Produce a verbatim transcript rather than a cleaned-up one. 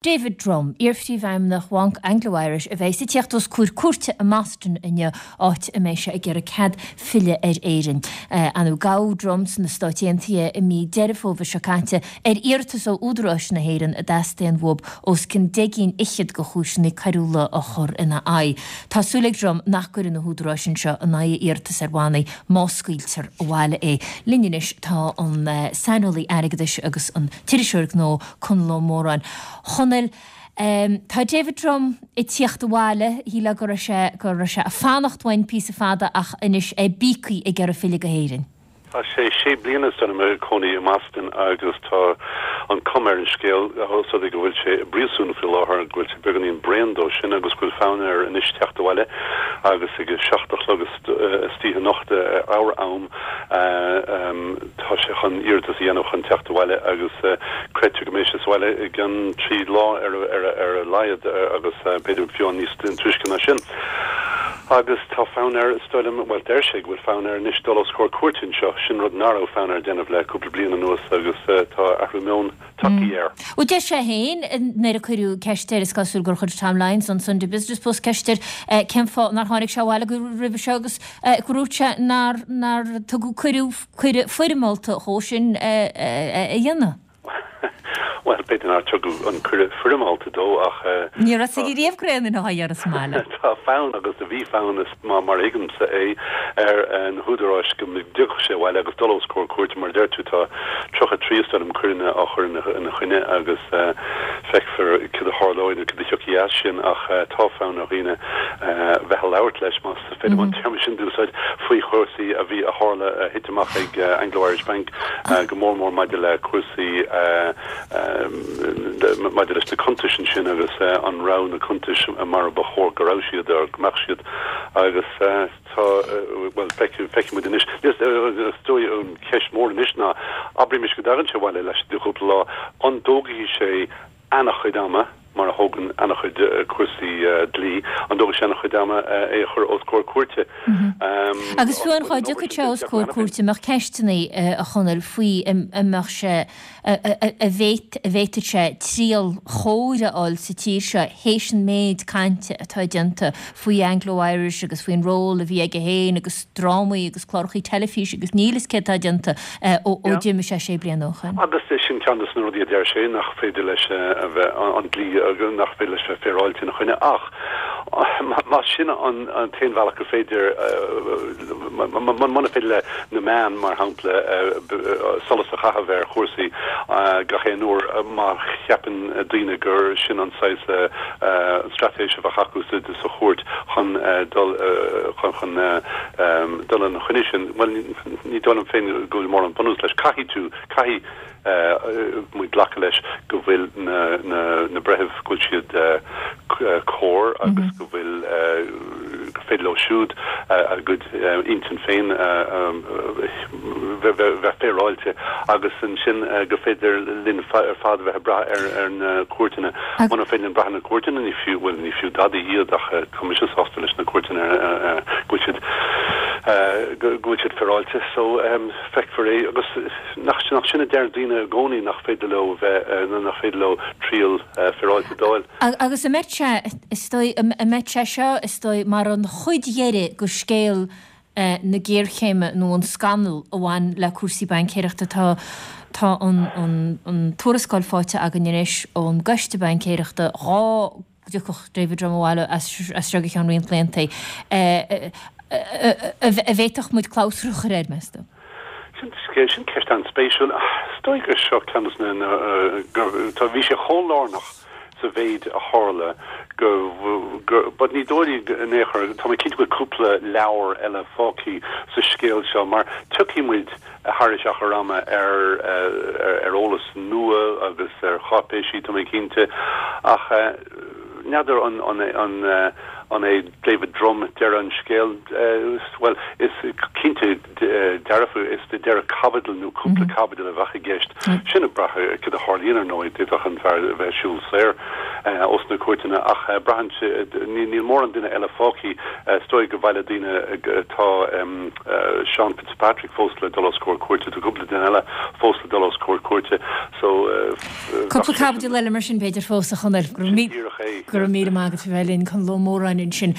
David Drumm, iar-phríomhfheidhmeannach Bhanc Anglo-Irish a bheidh ag tíocht os comhair cúirte i mBoston inniu, áit a mbeidh sé ag iarraidh cead filleadh ar Éirinn. Anú gabhadh Drumm sna Stáit Aontaithe i mí Deireadh Fómhair seo caite ar iarratas ó údaráis na hÉireann a dteastaíonn uathu os cionn deich gcinn fhichead de chúiseanna coiriúla a chur ina aghaidh. Tá súil ag Drumm nach gcuirfidh na húdaráis anseo in aghaidh a iarratas ar bhannaí má scaoiltear abhaile é. Linn anois tá an saineolaí airgeadais agus an t-iriseoir gnó Conall Ó Móráin. Chonaill, um, tá David Drumm ag tíocht abhaile, shílfeá go raibh sé go raibh sé ag fanacht uainn píosa fada ach anois é bíogtha ag iarraidh filleadh go hÉirinn. Tá sé sé bliana san ina chónaí i mBoston agus tá an chuma ar an scéal so go bhfuil sé i bpríosún faoi láthair, go bhfuil sé beagáinín bréan dó sin agus go bhfuil fonn air anois teacht abhaile agus ag seacht a chlog istoíche anocht ár am tá sé chun iarratas a dhéanamh chun teacht abhaile agus creidtear go mbeidh sé sa bhaile i gceann trí lá ar ar ar a laghad agus b'fhéidir fiú níos túisce ná sin. Agus tá fonn air is dóigh liom, bhuel deir sé go bhfuil fonn air anois dul os comhair cúirte anseo, sin rud nach raibh fonn air déanamh le cúpla bliain anuas agus tá athrú meoin tagtha air. Ó deir sé féin nuair a cuireadh ceist air is cosúil gur chuir Tom Lyons an Sunday Business Post ceist air cén fáth nár tháinig sé abhaile go roimhe seo agus gur dhúirt sé nár nár tugadh cuireadh cuireadh foirmeálta dhó sin a dhéanamh. Well b'fhéidir nár tugadh an cuireadh foirmeálta dó ach Ní raibh sé riamh gréin ina ar sa mbaile. Tá fonn agus a bhí fonn is má mar thuigimse é ar na húdaráis go dtiocfadh sé abhaile agus dul os comhair cúirte mar deir tú tá tríocha trí is coireanna á chur ina choinne agus feicfear cad a tharlóidh nó cad a thiocfaidh as sin ach tá fonn ar dhaoine bheith ag labhairt leis más féidir an téarma sin d'úsáid faoi chúrsaí a bhí a tharla thit amach ag Anglo-Irish Bank go mór mór maidir le cúrsaí maidir leis na cuntais sin agus an raibh na cuntais mar ba chóir go raibh siad ar go mbeadh siad agus tá well feicfimid anois dóigh an cheist mhór anois ná abraimis go dtagann sé abhaile laistigh de chúpla lá an dtógfaidh sé an-chuid ama mar a thógann an-chuid cúrsaí dlí an dtógfaidh sé an-chuid ama é a chur os comhair cúirte. Agus fiú an dá dtiocfadh sé os comhair cúirte mbeadh ceisteanna a Chonaill faoi an mbeadh sé a bhféadfadh sé triail chóir a fháil sa tír seo théis an méid cainte atá déanta faoi Anglo-Irish agus faoin ról a bhí aige féin agus drámaí agus cláracha teilifíse agus níl a fhios céard atá déanta ó d'imigh sé sé bliana ó shin. Agus sin ceann de na rudaí a deir sé nach féidir leis a bheith an dlí agus nach féidir leis bheith féaráilte ina choinne ach má sin an an t-aon bhealach go féidir muna féidir le na meáin mar shampla solas a chaitheamh ar chúrsaí gach aon uair má cheapann daoine gur sin an saghas straitéis a bheadh acu sa sa chúirt chun dul chun chun dul ina choinne sin well ní dóigh liom féin go bhfuil mórán bunús leis caithfidh tú caithfidh muid glacadh leis go bhfuil na na na breithimh go bhfuil siad cóir agus go bhfuil go féidir leo siúd a gcuid intinn féin bheith féaráilte agus ansin go féidir linn ar fad bheith ag brath ar ar na cúirteanna muna féidir linn brath na cúirteanna ní fiú bhfuil ní fiú dada iad ach tá mise sásta leis na cúirteanna go bhfuil siad go bhfuil siad féaráilte so feicfear é agus nach nach sin a deir daoine i gcónaí nach féidir leo bheith nach féidir leo triail féaráilte d'fháil. Agus an mbeidh sé is dóigh an mbeidh sé seo is dóigh mar an chuid dheiridh de scéal na géarchéime nó an scannal a bhain le cúrsaí baincéireachta tá tá an an an tuarascáil faighte againn anois ón gcoiste baincéireachta dhá dtiocfadh David Drumm abhaile as seo go ceann roinnt blianta a bhféadfadh muid clabhsúr a chur air meas tú. Sin sin ceist an-spéisiúil is dóigh gur seo ceann na tá bhí sé chomh lárnach sa mhéid a tharla go go but ní dóigh in aon chor tá mé cinnte go cúpla leabhar eile fágtha sa scéal seo mar tiocfaidh muid thar achar ama ar ar eolas nua agus ar cháipéisí tá mé cinnte ach n'fheadar an an an an é David Drumm deireadh an scéil well is cinnte dearfa is de deireadh caibidil nó cúpla caibidil a bheadh i gceist sin ag brath cad a tharlaíonn ar ndóigh d'fhéadfadh an fear bheith siúl saor os na cúirteanna ach braitheann níl mórán duine eile fágtha is dóigh go bhfuil daoine tá Sean Fitzpatrick fós le dul os comhair cúirte tá cúpla duine eile fós le dul os comhair cúirte so Cúpla caibidil eile mar sin b'fhéidir fós a Chonaill go raibh míle maith agat bheith linn Conall Ó Móráin ansin.